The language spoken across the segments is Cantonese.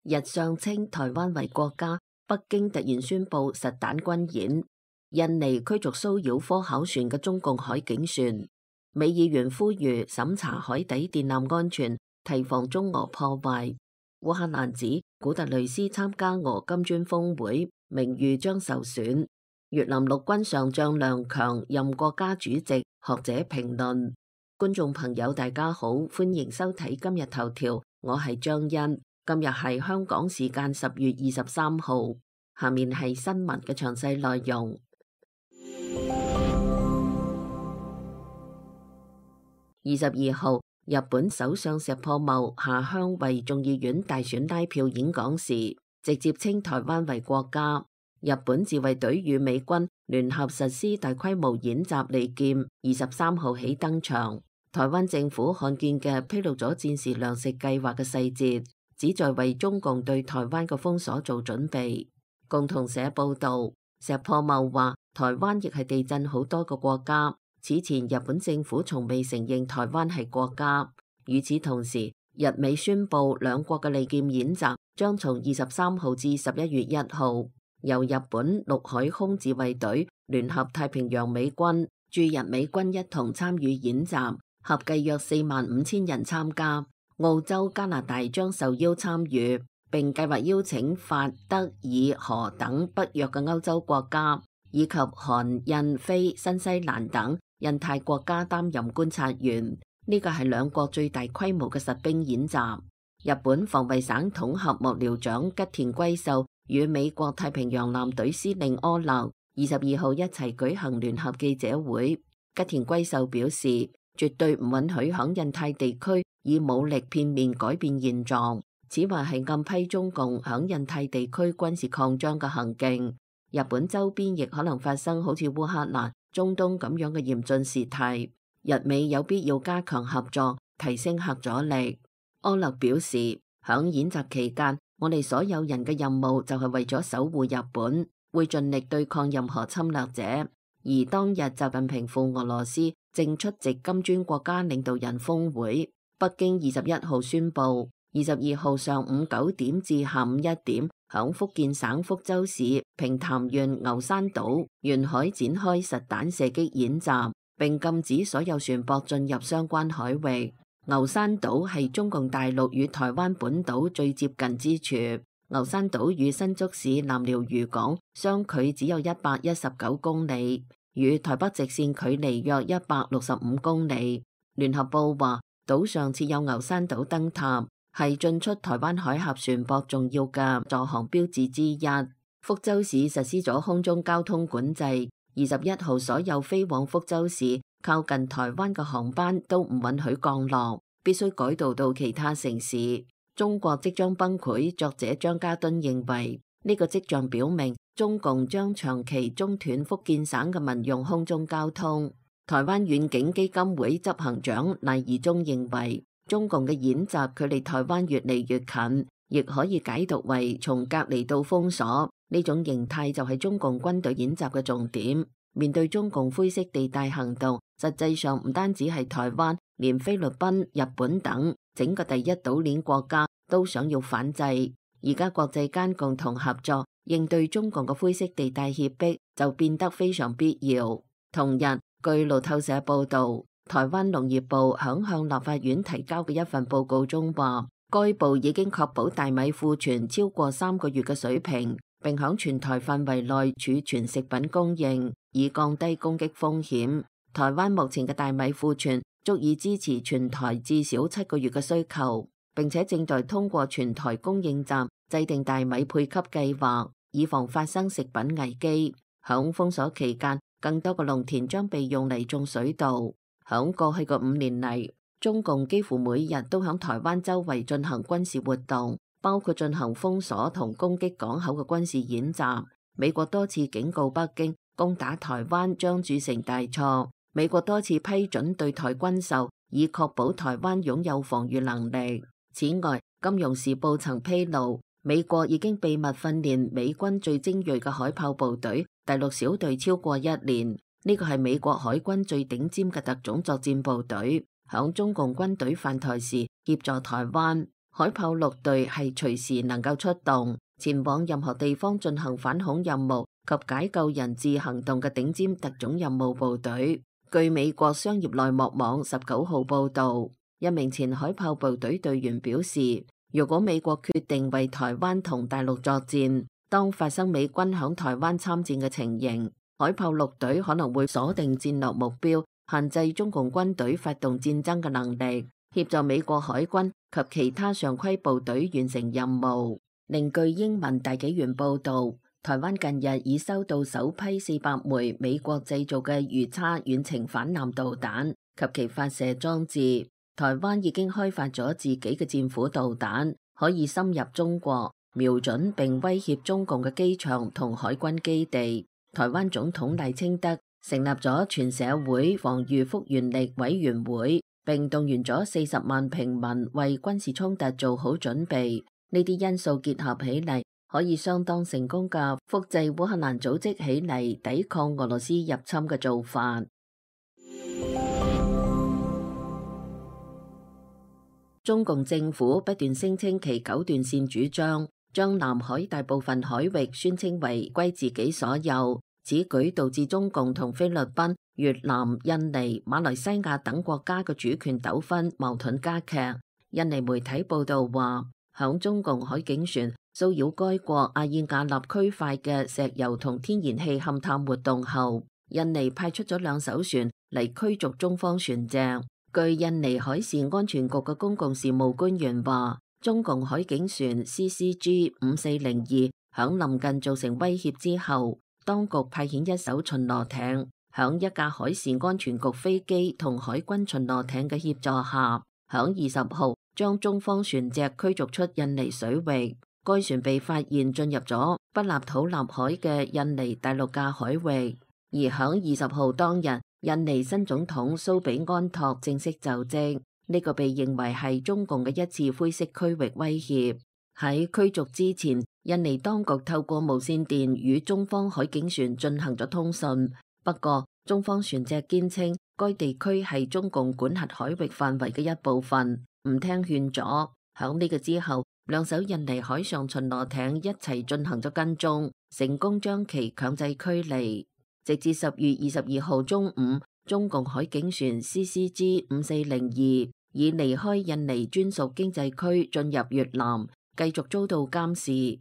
日上稱台灣為國家，北京突然宣布實彈軍演。印尼驅逐騷擾科考船嘅中共海警船。美議員呼籲審查海底電纜安全，提防中俄破壞。烏克蘭指古特雷斯參加俄金磚峰會，名譽將受損。越南陸軍上將梁強任國家主席，學者評論。觀眾朋友大家好，歡迎收睇今日頭條，我係張欣。今日係香港時間10月23號，下面係新聞嘅詳細內容。22號，日本首相石破茂下鄉為眾議院大選拉票演講時，直接稱台灣為國家。日本自衛隊與美軍聯合實施大規模演習利劍23號起登場。台灣政府罕見嘅披露咗戰時糧食計劃嘅細節，旨在為中共對台灣嘅封鎖做準備。共同社報道，石破茂話台灣亦係地震好多個國家，此前日本政府從未承認台灣係國家。與此同時，日美宣布兩國嘅利劍演習將從23號至11月1號，由日本陸海空自衛隊聯合太平洋美軍駐日美軍一同參與演習，合計約45000人參加。澳洲、加拿大將受邀參與，並計劃邀請法、德、以、荷等北約嘅歐洲國家，以及韓、印、非、新西蘭等印太國家擔任觀察員。呢個係兩國最大規模嘅實兵演習。日本防衛省統合幕僚長吉田龜秀與美國太平洋艦隊司令柯勒22號一齊舉行聯合記者會。吉田龜秀表示，絕對唔允許響印太地區以武力片面改變現狀，此話係暗批中共響印太地區軍事擴張嘅行徑。日本周邊亦可能發生好似烏克蘭、中東咁樣嘅嚴峻事態，日美有必要加強合作，提升核阻力。柯勒表示，響演習期間，我哋所有人嘅任務就係為咗守護日本，會盡力對抗任何侵略者。而當日習近平赴俄羅斯正出席金磚國家領導人峰會，北京21號宣布，22號上午9點至下午1點，響福建省福州市平潭縣牛山島沿海展開實彈射擊演習，並禁止所有船舶進入相關海域。牛山島係中共大陸與台灣本島最接近之處。牛山島與新竹市南寮漁港相距只有119公里，與台北直線距離約165公里。聯合報話，島上設有牛山島燈塔，係進出台灣海峽船舶重要嘅助航標誌之一。福州市實施咗空中交通管制，21號所有飛往福州市靠近台灣嘅航班都唔允許降落，必須改道到其他城市。中國即將崩潰，作者張家敦認為呢個跡象表明中共將長期中斷福建省嘅民用空中交通。台灣遠景基金會執行長賴宜中認為，中共嘅演習距離台灣越嚟越近，亦可以解讀為從隔離到封鎖，呢種形態就係中共軍隊演習嘅重點。面對中共灰色地帶行動，實際上唔單止係台灣，連菲律賓、日本等整個第一島鏈國家都想要反制。而家國際間共同合作應對中共嘅灰色地帶脅迫就變得非常必要。同日，據路透社報道，台灣農業部響向立法院提交嘅一份報告中話，該部已經確保大米庫存超過3個月嘅水平，並響全台範圍內儲存食品供應，以降低攻擊風險。台灣目前嘅大米庫存足以支持全台至少7個月嘅需求，並且正在通過全台供應站制定大米配給計劃，以防發生食品危機。響封鎖期間，更多嘅農田將被用嚟種水稻。響過去嘅5年嚟，中共幾乎每日都響台灣周圍進行軍事活動，包括進行封鎖同攻擊港口嘅軍事演習。美國多次警告北京，攻打台灣將鑄成大錯。美國多次批准對台軍售，以確保台灣擁有防禦能力。此外，《金融時報》曾披露，美國已經秘密訓練美軍最精銳嘅海豹部隊第6小隊超過1年。呢個係美國海軍最頂尖嘅特種作戰部隊，響中共軍隊犯台時協助台灣。海豹陸隊係隨時能夠出動，前往任何地方進行反恐任務及解救人質行動嘅頂尖特種任務部隊。據美國商業內幕網19號報導，一名前海豹部隊隊員表示，如果美國決定為台灣同大陸作戰，當發生美軍響台灣參戰嘅情形，海豹陸隊可能會鎖定戰略目標，限制中共軍隊發動戰爭嘅能力，協助美國海軍及其他常規部隊完成任務。另據英文大紀元報導，台灣近日已收到首批400枚美國製造嘅魚叉遠程反艦導彈及其發射裝置。台灣已經開發咗自己嘅戰斧導彈，可以深入中國，瞄準並威脅中共嘅機場同海軍基地。台灣總統賴清德成立咗全社會防禦復原力委員會，並動員咗40萬平民為軍事衝突做好準備。呢啲因素結合起嚟，可以相當成功嘅複製烏克蘭組織起嚟抵抗俄羅斯入侵嘅做法。中共政府不斷聲稱其九段線主張，將南海大部分海域宣稱為歸自己所有，此舉導致中共同菲律賓、越南、印尼、馬來西亞等國家嘅主權糾紛矛盾加劇。印尼媒體報道話，響中共海警船騷擾該國阿爾瓦納區塊嘅石油同天然氣勘探活動後，印尼派出咗2艘船嚟驅逐中方船隻。據印尼海事安全局嘅公共事務官員話，中共海警船 CCG5402 響臨近造成威脅之後，當局派遣1艘巡邏艇，響一架海事安全局飛機同海軍巡邏艇嘅協助下，響20號將中方船隻驅逐出印尼水域。該船被發現進入咗北納土納海嘅印尼大陸架海域。而響20號當日，印尼新總統蘇比安托正式就職，呢個被認為係中共嘅一次灰色區域威脅。喺驅逐之前，印尼當局透過無線電與中方海警船進行咗通訊，不過中方船隻堅稱該地區係中共管轄海域範圍嘅一部分，唔聽勸阻。響呢個之後，2艘印尼海上巡邏艇一齊進行咗跟蹤，成功將其強制驅離。直至10月22號中午，中共海警船 CCG5402 已離開印尼專屬經濟區進入越南，繼續遭到監視。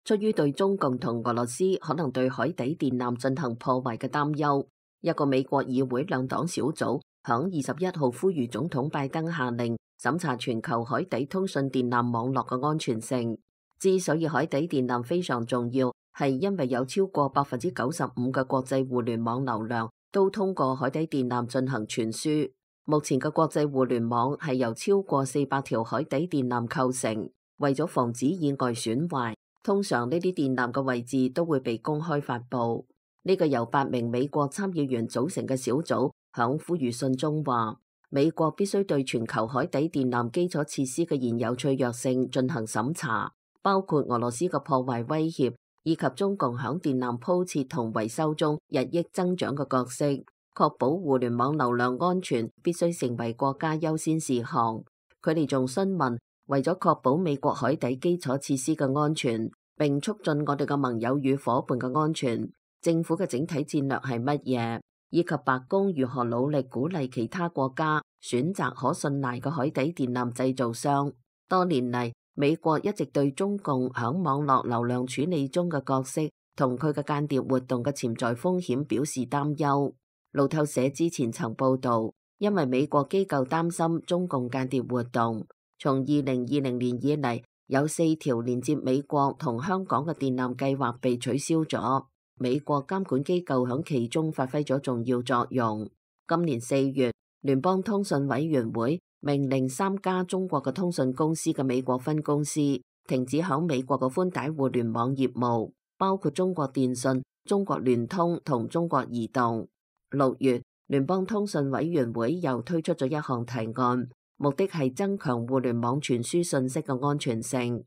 出於對中共同俄羅斯可能對海底電纜進行破壞嘅擔憂，一個美國議會兩黨小組響21號呼籲總統拜登下令審查全球海底通訊電纜網絡嘅安全性。之所以海底電纜非常重要，係因為有超過95%嘅國際互聯網流量都通過海底電纜進行傳輸。目前嘅國際互聯網係由超過400條海底電纜構成。為咗防止意外損壞，通常呢啲電纜嘅位置都會被公開發佈。呢個由8名美國參議員組成嘅小組響呼籲信中話，美國必須對全球海底電纜基礎設施嘅現有脆弱性進行審查，包括俄羅斯嘅破壞威脅，以及中共響電纜鋪設同維修中日益增長嘅角色。確保互聯網流量安全必須成為國家優先事項。佢哋仲詢問，為咗確保美國海底基礎設施嘅安全，並促進我哋嘅盟友與夥伴嘅安全，政府嘅整體戰略係乜嘢，以及白宮如何努力鼓勵其他國家選擇可信賴嘅海底電纜製造商。多年嚟，美國一直對中共響網絡流量處理中嘅角色同佢嘅間諜活動嘅潛在風險表示擔憂。路透社之前曾報道，因為美國機構擔心中共間諜活動，從2020年以嚟，有4條連接美國同香港嘅電纜計劃被取消咗。美國監管機構響其中發揮咗重要作用。今年4月，聯邦通訊委員會命令3家中國嘅通訊公司嘅美國分公司停止響美國嘅寬帶互聯網業務，包括中國電信、中國聯通同中國移動。6月，聯邦通訊委員會又推出咗一項提案，目的係增強互聯網傳輸信息嘅安全性。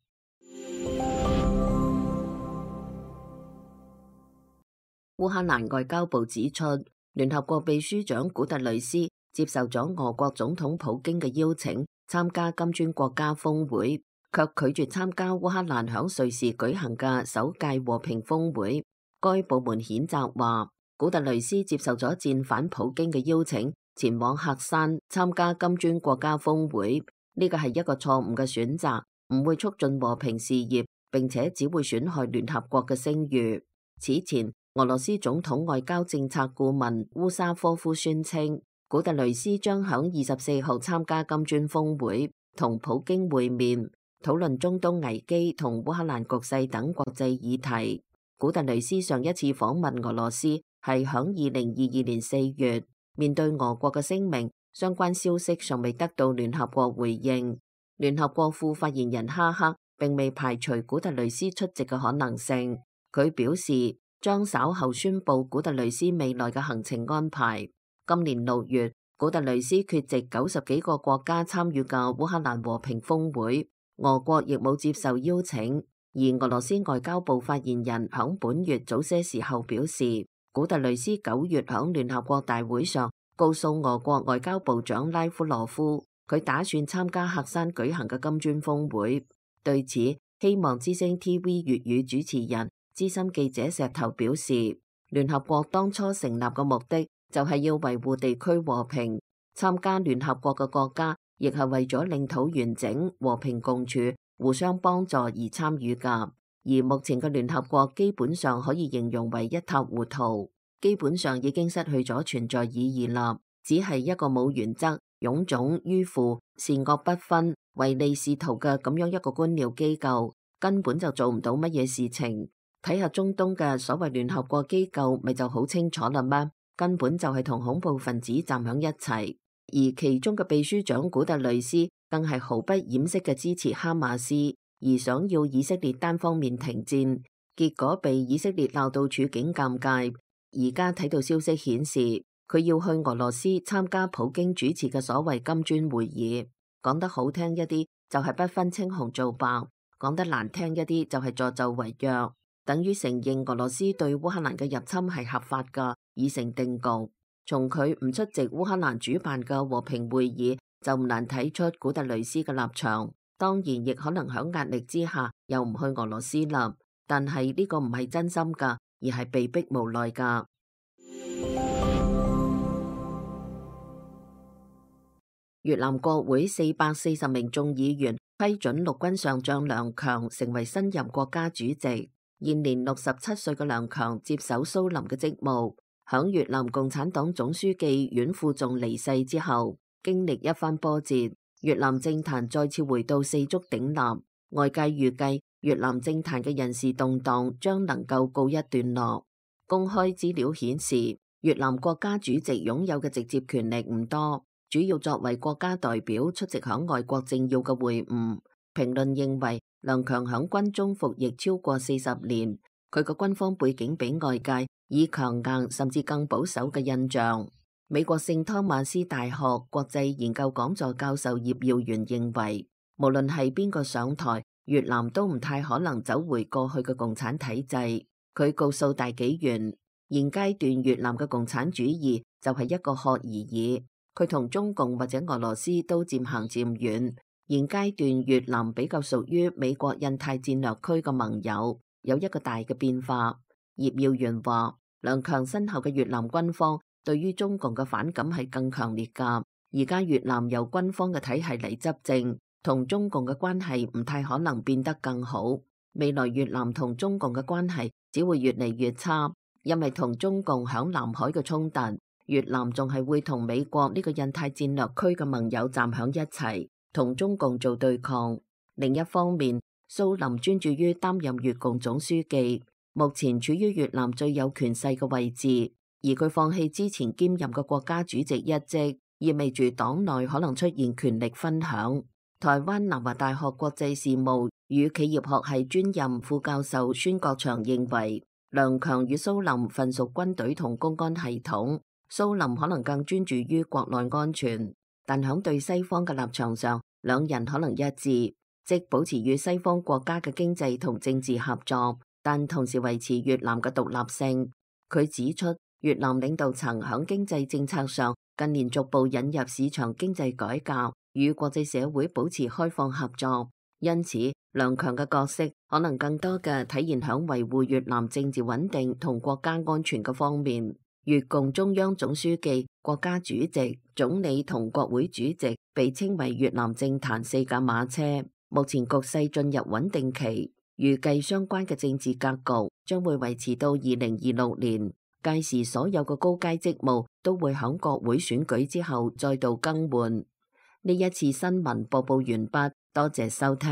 烏克蘭外交部指出，聯合國秘書長古特雷斯接受咗俄國總統普京嘅邀請參加金磚國家峰會，卻拒絕參加烏克蘭響瑞士舉行嘅首屆和平峰會。該部門譴責話，古特雷斯接受咗戰犯普京嘅邀請，前往喀山參加金磚國家峰會，呢個係一個錯誤嘅選擇，唔會促進和平事業，並且只會損害聯合國嘅聲譽。此前，俄羅斯總統外交政策顧問烏沙科夫宣稱，古特雷斯將響24號參加金磚峰會，同普京會面，討論中東危機同烏克蘭局勢等國際議題。古特雷斯上一次訪問俄羅斯係響2022年4月，面對俄國嘅聲明，相關消息尚未得到聯合國回應。聯合國副發言人哈克並未排除古特雷斯出席嘅可能性，佢表示將稍後宣布古特雷斯未來嘅行程安排。今年6月，古特雷斯缺席90幾個國家參與嘅烏克蘭和平峰會，俄國亦冇接受邀請。而俄羅斯外交部發言人響本月早些時候表示，古特雷斯9月響聯合國大會上告訴俄國外交部長拉夫羅夫，佢打算參加喀山舉行嘅金磚峰會。對此，希望之聲 TV 粵語主持人資深記者石頭表示，聯合國當初成立嘅目的就係要維護地區和平，參加聯合國嘅國家亦係為咗領土完整、和平共處、互相幫助而參與噶。而目前嘅聯合國基本上可以形容為一塌糊塗，基本上已經失去咗存在意義啦，只係一個冇原則、臃腫迂腐、善惡不分、唯利是圖嘅咁樣一個官僚機構，根本就做唔到乜嘢事情。睇下中東嘅所謂聯合國機構，咪就好清楚啦咩？根本就係同恐怖分子站響一齊，而其中嘅秘書長古特雷斯更係毫不掩飾嘅支持哈馬斯，而想要以色列單方面停戰，結果被以色列鬧到處境尷尬。而家睇到消息顯示，佢要去俄羅斯參加普京主持嘅所謂金磚會議，講得好聽一啲就係不分青紅皂白，講得難聽一啲就係助紂為虐，等於承認俄羅斯對烏克蘭嘅入侵係合法噶，已成定局。從佢唔出席烏克蘭主辦嘅和平會議，就唔難睇出古特雷斯嘅立場。當然亦可能響壓力之下又唔去俄羅斯啦，但係呢個唔係真心噶，而係被逼無奈噶。越南國會440名眾議員批准陸軍上將梁強成為新任國家主席。現年67歲嘅梁強接手蘇林嘅職務，響越南共產黨總書記阮富仲離世之後，經歷一番波折，越南政壇再次回到四足鼎立。外界預計越南政壇嘅人事動盪將能夠告一段落。公開資料顯示，越南國家主席擁有嘅直接權力唔多，主要作為國家代表出席響外國政要嘅會晤。評論認為，梁強響軍中服役超過40年，佢個軍方背景俾外界以強硬甚至更保守嘅印象。美國聖湯馬斯大學國際研究講座教授葉耀元認為，無論係邊個上台，越南都唔太可能走回過去嘅共產體制。佢告訴大紀元，現階段越南嘅共產主義就係一個殼而已，佢同中共或者俄羅斯都漸行漸遠。現階段越南比較屬於美國印太戰略區嘅盟友，有一個大嘅變化。葉耀元話，梁強身後嘅越南軍方對於中共嘅反感係更強烈噶。而家越南由軍方嘅體系嚟執政，同中共嘅關係唔太可能變得更好。未來越南同中共嘅關係只會越嚟越差，因為同中共響南海嘅衝突，越南仲係會同美國呢個印太戰略區嘅盟友站響一齊，同中共做對抗。另一方面，蘇林專注於擔任越共總書記，目前處於越南最有權勢嘅位置，而佢放棄之前兼任嘅國家主席一職，意味住黨內可能出現權力分享。台灣南華大學國際事務與企業學系專任副教授孫國祥認為，梁強與蘇林分屬軍隊同公安系統，蘇林可能更專注於國內安全。但響對西方嘅立場上，兩人可能一致，即保持與西方國家嘅經濟同政治合作，但同時維持越南嘅獨立性。佢指出，越南領導層響經濟政策上近年逐步引入市場經濟改革，與國際社會保持開放合作，因此梁強嘅角色可能更多嘅體現響維護越南政治穩定同國家安全嘅方面。越共中央總書記、國家主席、總理同國會主席被稱為越南政壇四駕馬車。目前局勢進入穩定期，預計相關嘅政治格局將會維持到2026年。屆時所有嘅高階職務都會響國會選舉之後再度更換。呢一次新聞播報完畢，多謝收聽。